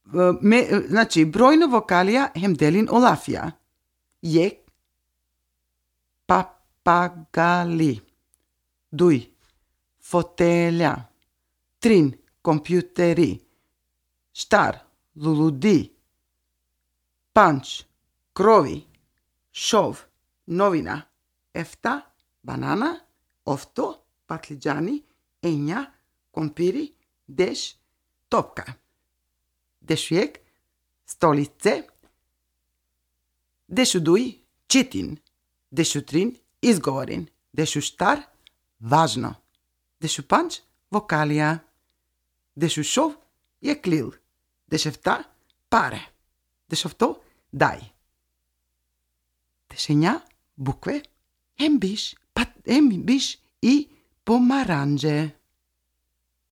Значи, бројно вокалија хем делин олафија. Јек, папагали. Дуј, фотелја. Трин, компјутери. Штар, лулуди. Панч, крови. Шов, новина. Ефта, банана. Овто, патлиџани. Ења, компири. Деш, топка. Дешујек, столице. Дешу дуј, читин. Дешу трин, изговорин. Дешу штар, важно. Дешу панч, вокалија. Дешу шов, јеклил. Дешевта, паре. Дешовто, дај. Дешења, букве, ембиш и помаранџе.